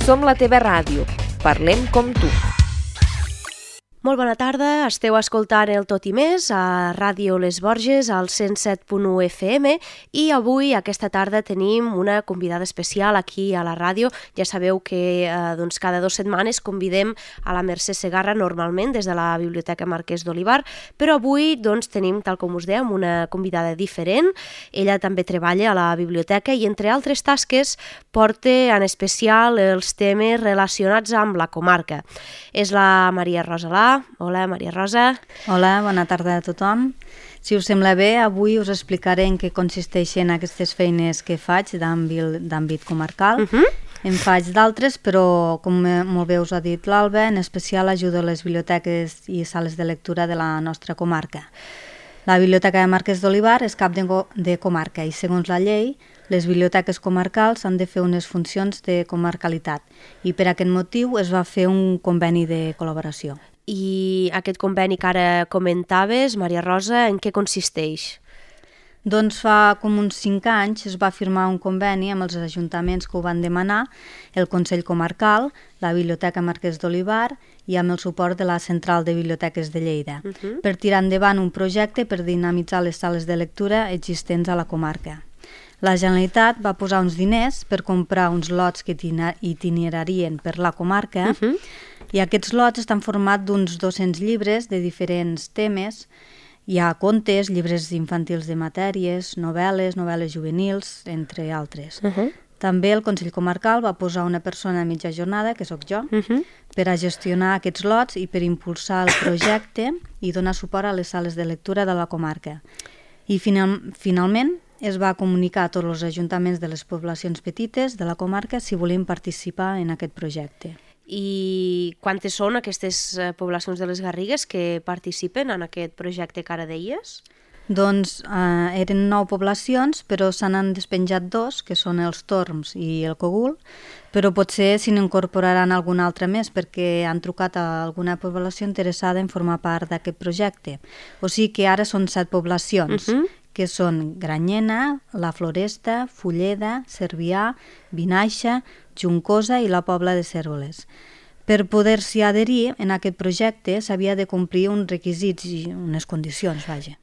Som la teva ràdio. Parlem com tu. Molt bona tarda, esteu escoltant el Tot i Més a Ràdio Les Borges al 107.1 FM i avui, aquesta tarda, tenim una convidada especial aquí a la ràdio. Ja sabeu que cada 2 setmanes convidem a la Mercè Segarra normalment des de la Biblioteca Marquès d'Olivar, però avui tenim, tal com us dèiem, una convidada diferent. Ella també treballa a la biblioteca i, entre altres tasques, porta en especial els temes relacionats amb la comarca. És la Maria Rosa Alà. Hola, Maria Rosa. Hola, bona tarda a tothom. Si us sembla bé, avui us explicaré en què consisteixen aquestes feines que faig d'àmbit comarcal. En faig d'altres, però, com molt bé us ha dit l'Alba, en especial ajudo a les biblioteques i sales de lectura de la nostra comarca. La Biblioteca de Marquès d'Olivar és cap de comarca i, segons la llei, les biblioteques comarcals han de fer unes funcions de comarcalitat i per aquest motiu es va fer un conveni de col·laboració. I aquest conveni que ara comentaves, Maria Rosa, en què consisteix? Doncs fa com uns 5 anys es va firmar un conveni amb els ajuntaments que ho van demanar, el Consell Comarcal, la Biblioteca Marquès d'Olivar i amb el suport de la Central de Biblioteques de Lleida, per tirar endavant un projecte per dinamitzar les sales de lectura existents a la comarca. La Generalitat va posar uns diners per comprar uns lots que itinerarien per la comarca i aquests lots estan formats d'uns 200 llibres de diferents temes. Hi ha contes, llibres infantils de matèries, novel·les juvenils, entre altres. També el Consell Comarcal va posar una persona a mitja jornada, que sóc jo, per a gestionar aquests lots i per impulsar el projecte i donar suport a les sales de lectura de la comarca. I finalment es va comunicar a tots els ajuntaments de les poblacions petites de la comarca si volien participar en aquest projecte. I quantes són aquestes poblacions de les Garrigues que participen en aquest projecte que ara deies? Doncs eren 9 poblacions, però se n'han despenjat 2, que són els Torms i el Cogul, però potser s'hi n'incorporaran alguna altra més perquè han trucat a alguna població interessada en formar part d'aquest projecte. O sigui que ara són 7 poblacions, que són Granyena, La Floresta, Fulleda, Cervià, Vinaixa, Juncosa i la Pobla de Cérvoles. Per poder-s'hi adherir en aquest projecte s'havia de complir uns requisits i unes condicions, vaja.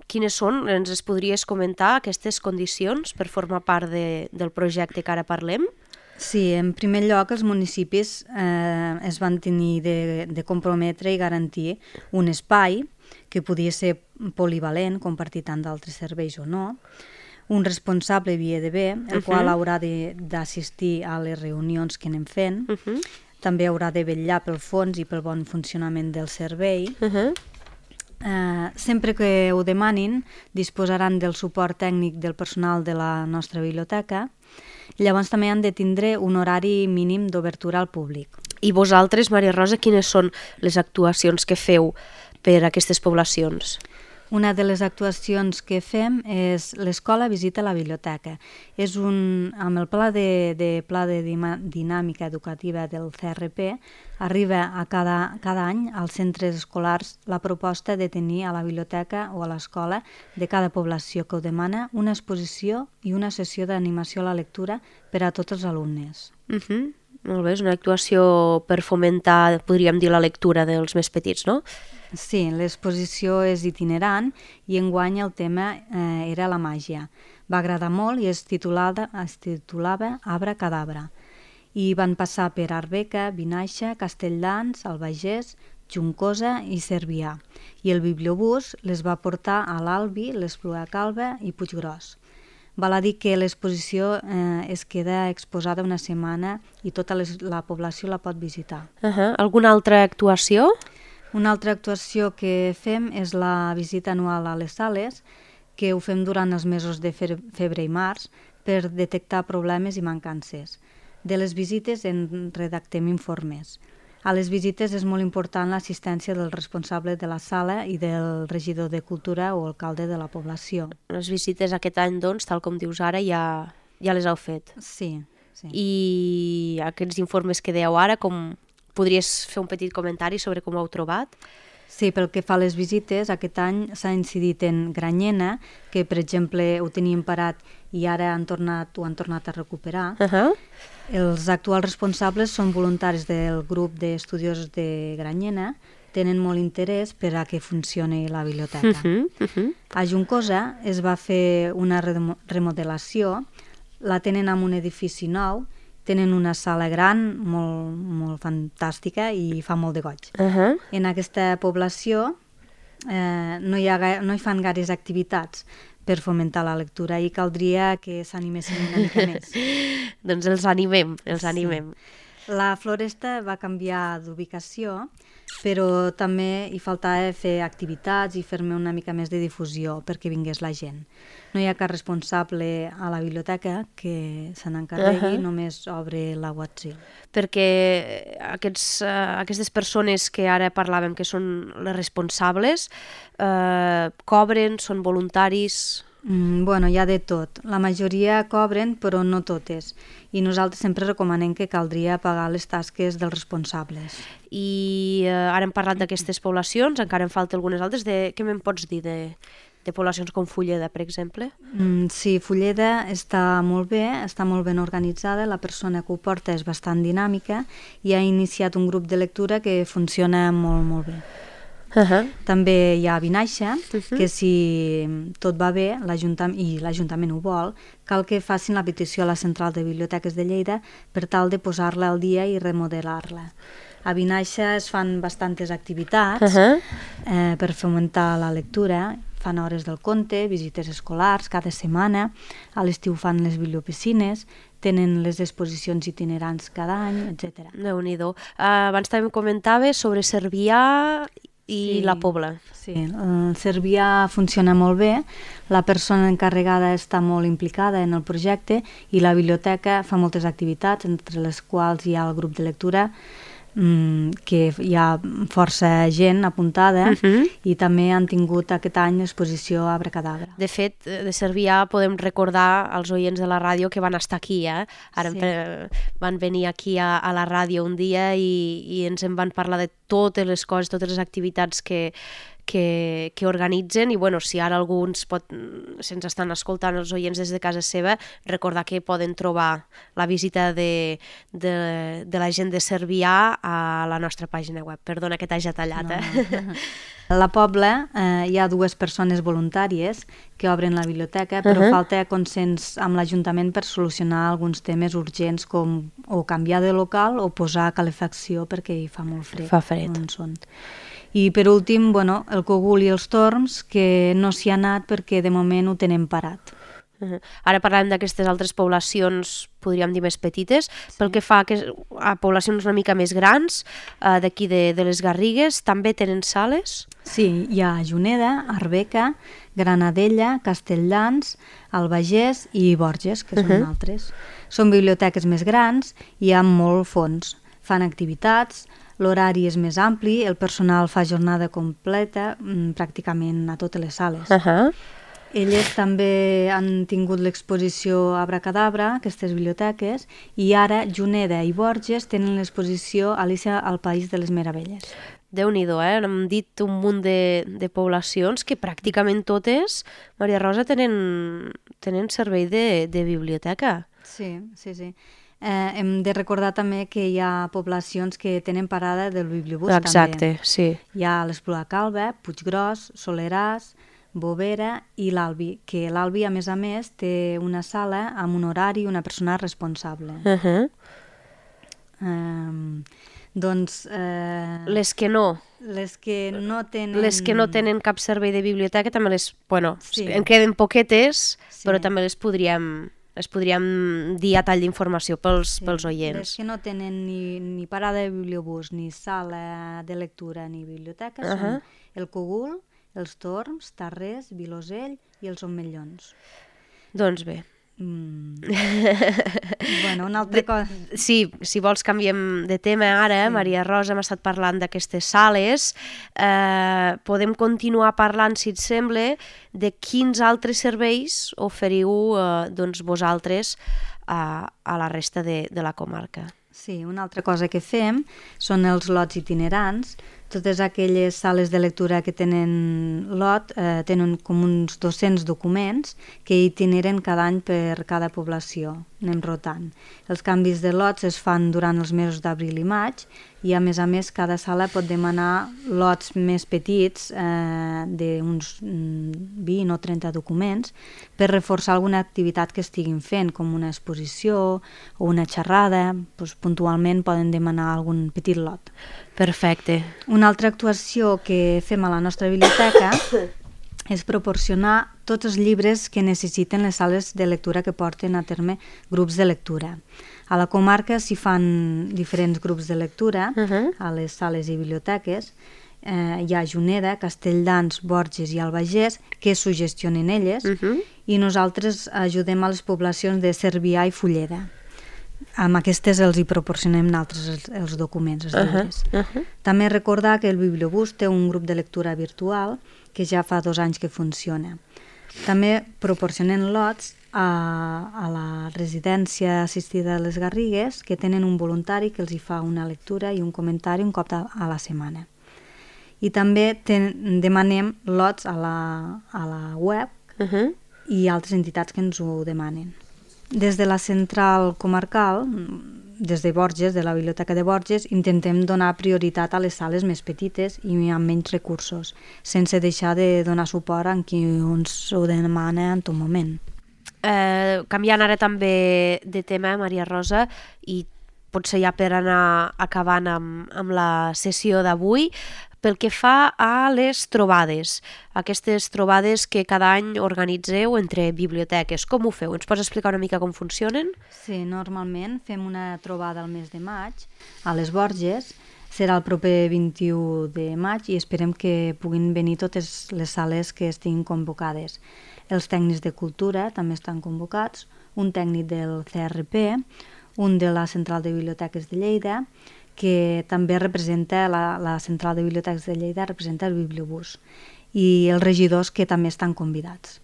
Quines són? Ens podries comentar aquestes condicions per formar part del projecte que ara parlem? Sí, en primer lloc els municipis es van tenir de comprometre i garantir un espai que podia ser polivalent, compartir tant d'altres serveis o no, un responsable havia d'haver, el qual haurà d'assistir a les reunions que anem fent, també haurà de vetllar pel fons i pel bon funcionament del servei. Sempre que ho demanin, disposaran del suport tècnic del personal de la nostra biblioteca. Llavors també han de tindre un horari mínim d'obertura al públic. I vosaltres, Maria Rosa, quines són les actuacions que feu per a aquestes poblacions? Una de les actuacions que fem és l'escola visita la biblioteca. És amb el pla de dinàmica educativa del CRP, arriba a cada any als centres escolars la proposta de tenir a la biblioteca o a l'escola de cada població que ho demana una exposició i una sessió d'animació a la lectura per a tots els alumnes. Molt bé, és una actuació per fomentar, podríem dir, la lectura dels més petits, no? Sí, l'exposició és itinerant i enguany el tema era la màgia. Va agradar molt i es titulava Abra Cadabra. I van passar per Arbeca, Vinaixa, Castelldans, Albaigés, Juncosa i Cervià. I el bibliobús les va portar a l'Albi, l'Espluga Calba i Puiggròs. Val a dir que l'exposició es queda exposada una setmana i tota la població la pot visitar. Alguna altra actuació? Una altra actuació que fem és la visita anual a les sales, que ho fem durant els mesos de febrer i març per detectar problemes i mancances. De les visites en redactem informes. A les visites és molt important l'assistència del responsable de la sala i del regidor de Cultura o alcalde de la població. Les visites aquest any, doncs, tal com dius ara, ja les heu fet. Sí. I aquests informes que dèieu ara, com podries fer un petit comentari sobre com ho heu trobat? Sí, pel que fa a les visites, aquest any s'ha incidit en Granyena, que per exemple ho teníem parat i ara ho han tornat a recuperar. Els actuals responsables són voluntaris del grup d'estudiosos de Granyena, tenen molt interès per a que funcioni la biblioteca. A Juncosa es va fer una remodelació, la tenen en un edifici nou, tenen una sala gran, molt fantàstica i fa molt de goig. En aquesta població no hi fan gaires activitats per fomentar la lectura i caldria que s'animessin una mica més. Doncs els animem. La Floresta va canviar d'ubicació, però també hi faltava fer activitats i fer-me una mica més de difusió perquè vingués la gent. No hi ha cap responsable a la biblioteca que se n'encarregui, només obre la WhatsApp. Perquè aquestes persones que ara parlàvem que són les responsables, cobren, són voluntaris? Bueno, hi ha de tot. La majoria cobren, però no totes. I nosaltres sempre recomanem que caldria pagar les tasques dels responsables. I ara hem parlat d'aquestes poblacions, encara en falta algunes altres. Què me'n pots dir de poblacions com Fulleda, per exemple? Sí, Fulleda està molt ben organitzada, la persona que ho porta és bastant dinàmica i ha iniciat un grup de lectura que funciona molt, molt bé. També hi ha Vinaixa, que si tot va bé i l'Ajuntament ho vol, cal que facin la petició a la Central de Biblioteques de Lleida per tal de posar-la al dia i remodelar-la. A Vinaixa es fan bastantes activitats per fomentar la lectura, fan hores del conte, visites escolars cada setmana, a l'estiu fan les bibliopiscines, tenen les exposicions itinerants cada any, etc. Déu-n'hi-do. Abans també em comentaves sobre Cervià i la Pobla. Sí, el Cervià funciona molt bé, la persona encarregada està molt implicada en el projecte i la biblioteca fa moltes activitats, entre les quals hi ha el grup de lectura, que hi ha força gent apuntada i també han tingut aquest any l'exposició Abracadabra. De fet, de Cervià podem recordar als oients de la ràdio que van estar aquí, Ara van venir aquí a la ràdio un dia i ens en van parlar de totes les coses, totes les activitats que organitzen i si ara alguns se'ns estan escoltant els oients des de casa seva, recordar que poden trobar la visita de la gent de Cervià a la nostra pàgina web. Perdona que t'hagi tallat. A la Pobla hi ha 2 persones voluntàries que obren la biblioteca, però falta consens amb l'Ajuntament per solucionar alguns temes urgents com o canviar de local o posar calefacció perquè hi fa molt fred. Fa fred. I per últim, el Cogul i els Torms, que no s'hi ha anat perquè de moment ho tenen parat. Ara parlem d'aquestes altres poblacions, podríem dir més petites, pel que fa a poblacions una mica més grans, d'aquí de les Garrigues, també tenen sales? Sí, hi ha Juneda, Arbeca, Granadella, Castelldans, Albagés i Borges, que són altres. Són biblioteques més grans i amb molt fons. Fan activitats, l'horari és més ampli, el personal fa jornada completa pràcticament a totes les sales. Elles també han tingut l'exposició Abracadabra, aquestes biblioteques, i ara Juneda i Borges tenen l'exposició Alicia al País de les Meravelles. Déu-n'hi-do, hem dit un munt de poblacions que pràcticament totes, Maria Rosa, tenen servei de biblioteca. Sí. Hem de recordar també que hi ha poblacions que tenen parada del bibliobús. Exacte, també. Sí. Hi ha l'Espluga Calba, Puiggròs, Soleràs, Bovera i l'Albi, que l'Albi, a més, té una sala amb un horari i una persona responsable. Les que no tenen cap servei de biblioteca també en queden poquetes, però també les podríem dir a tall d'informació pels oients. Les que no tenen ni parada de bibliobús, ni sala de lectura, ni biblioteca, són el Cogul, els Torms, Tarrés, Vilosell i els Omellons. Doncs bé. Una altra cosa... Sí, si vols canviem de tema ara. Maria Rosa, hem estat parlant d'aquestes sales. Podem continuar parlant, si et sembla, de quins altres serveis oferiu vosaltres a la resta de la comarca. Sí, una altra cosa que fem són els lots itinerants. Totes aquelles sales de lectura que tenen lot tenen com uns 200 documents que itineren cada any per cada població, anem rotant. Els canvis de lots es fan durant els mesos d'abril i maig i a més cada sala pot demanar lots més petits d'uns 20 o 30 documents per reforçar alguna activitat que estiguin fent, com una exposició o una xerrada, doncs puntualment poden demanar algun petit lot. Perfecte. Una altra actuació que fem a la nostra biblioteca és proporcionar tots els llibres que necessiten les sales de lectura que porten a terme grups de lectura. A la comarca s'hi fan diferents grups de lectura a les sales i biblioteques. Hi ha Juneda, Castelldans, Borges i Albagés que sugestionen elles i nosaltres ajudem a les poblacions de Cervià i Fulleda. Amb aquestes els hi proporcionem nosaltres els documents, els llibres. També recordar que el Bibliobús té un grup de lectura virtual que ja fa 2 anys que funciona. També proporcionen lots a la residència assistida de les Garrigues, que tenen un voluntari que els hi fa una lectura i un comentari un cop a la setmana. I també demanem lots a la web i altres entitats que ens ho demanen. Des de la central comarcal, des de Borges, de la Biblioteca de Borges, intentem donar prioritat a les sales més petites i amb menys recursos, sense deixar de donar suport a qui ens ho demana en tot moment. Canviant ara també de tema, Maria Rosa, i potser ja per anar acabant amb la sessió d'avui, pel que fa a les trobades, aquestes trobades que cada any organitzeu entre biblioteques, com ho feu? Ens pots explicar una mica com funcionen? Sí, normalment fem una trobada al mes de maig a les Borges, serà el proper 21 de maig i esperem que puguin venir totes les sales que estiguin convocades. Els tècnics de cultura també estan convocats, un tècnic del CRP, un de la Central de Biblioteques de Lleida, que també representa la Central de Biblioteques de Lleida, representa el Bibliobús, i els regidors que també estan convidats.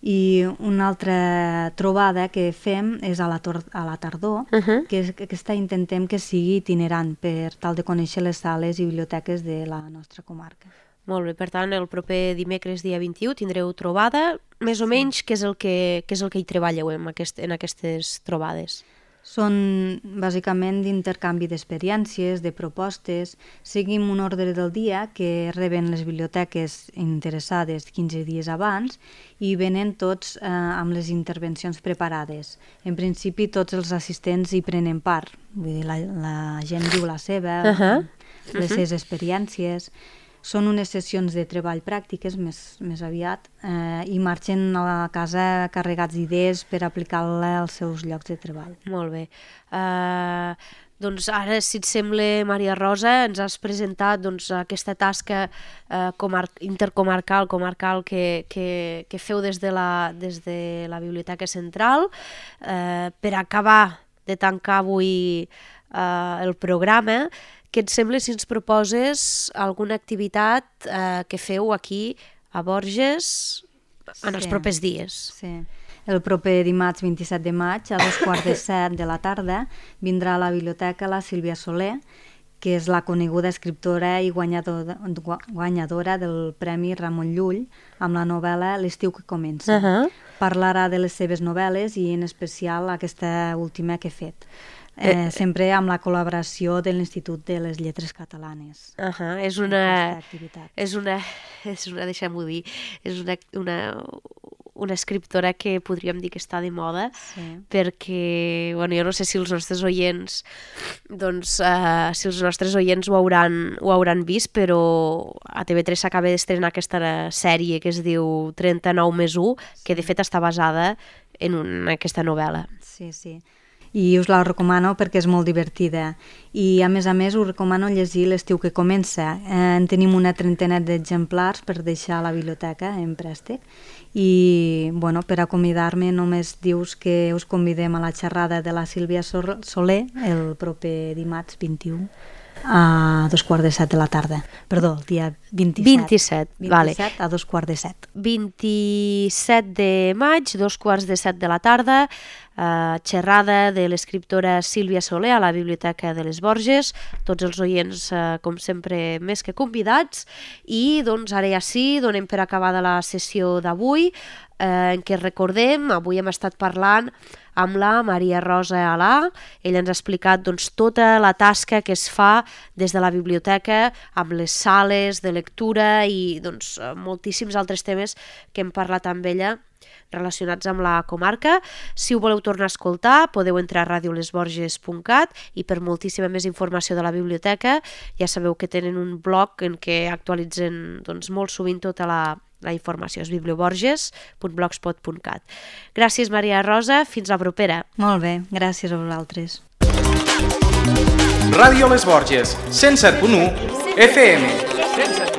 I una altra trobada que fem és a la tardor, que aquesta intentem que sigui itinerant per tal de conèixer les sales i biblioteques de la nostra comarca. Molt bé, per tant, el proper dimecres dia 21 tindreu trobada, més o menys què és el que hi treballeu en aquestes trobades? Són bàsicament d'intercanvi d'experiències, de propostes. Seguim un ordre del dia que reben les biblioteques interessades 15 dies abans i venen tots amb les intervencions preparades. En principi tots els assistents hi prenen part, vull dir, la gent diu la seva, les seves experiències. Són unes sessions de treball pràctiques més aviat i marxen a la casa carregats d'idees per aplicar-la als seus llocs de treball. Molt bé. Doncs ara, si et sembla, Maria Rosa, ens has presentat aquesta tasca intercomarcal, comarcal que feu des de la Biblioteca Central. Per acabar de tancar avui el programa, què et sembla si ens proposes alguna activitat que feu aquí a Borges en els propers dies? Sí. El proper dimarts 27 de maig a 6:45 de la tarda vindrà a la biblioteca la Sílvia Soler, que és la coneguda escriptora i guanyadora del Premi Ramon Llull amb la novel·la L'estiu que comença. Parlarà de les seves novel·les i en especial aquesta última que he fet. Sempre amb la col·laboració de l'Institut de les Lletres Catalanes. És una, deixem-ho dir, és una escriptora que podríem dir que està de moda, perquè, jo no sé si els nostres oients ho hauran vist, però a TV3 s'acaba d'estrenar aquesta sèrie que es diu 39+1, que de fet està basada en aquesta novel·la. Sí. I us la recomano perquè és molt divertida. I a més us recomano llegir L'estiu que comença. En tenim una trentena d'exemplars per deixar a la biblioteca en préstec. I per acomiadar-me només dius que us convidem a la xerrada de la Sílvia Soler el proper dimarts 21. a 2:15 de la tarda. Perdó, el dia 27. 27, vale. A 2:15. 27 de maig, 2:15 de la tarda, xerrada de l'escriptora Sílvia Soler a la Biblioteca de les Borges, tots els oients com sempre més que convidats, i doncs ara ja sí, donem per acabada la sessió d'avui, en què recordem, avui hem estat parlant amb la Maria Rosa Alà. Ella ens ha explicat doncs, tota la tasca que es fa des de la biblioteca amb les sales de lectura i doncs, moltíssims altres temes que hem parlat amb ella relacionats amb la comarca. Si ho voleu tornar a escoltar, podeu entrar a radiolesborges.cat i per moltíssima més informació de la biblioteca ja sabeu que tenen un blog en què actualitzen doncs, molt sovint tota la informació, és biblioborges.blogspot.cat. Gràcies, Maria Rosa, fins la propera. Molt bé, gràcies a vosaltres. Ràdio Les Borges, 107.1 FM.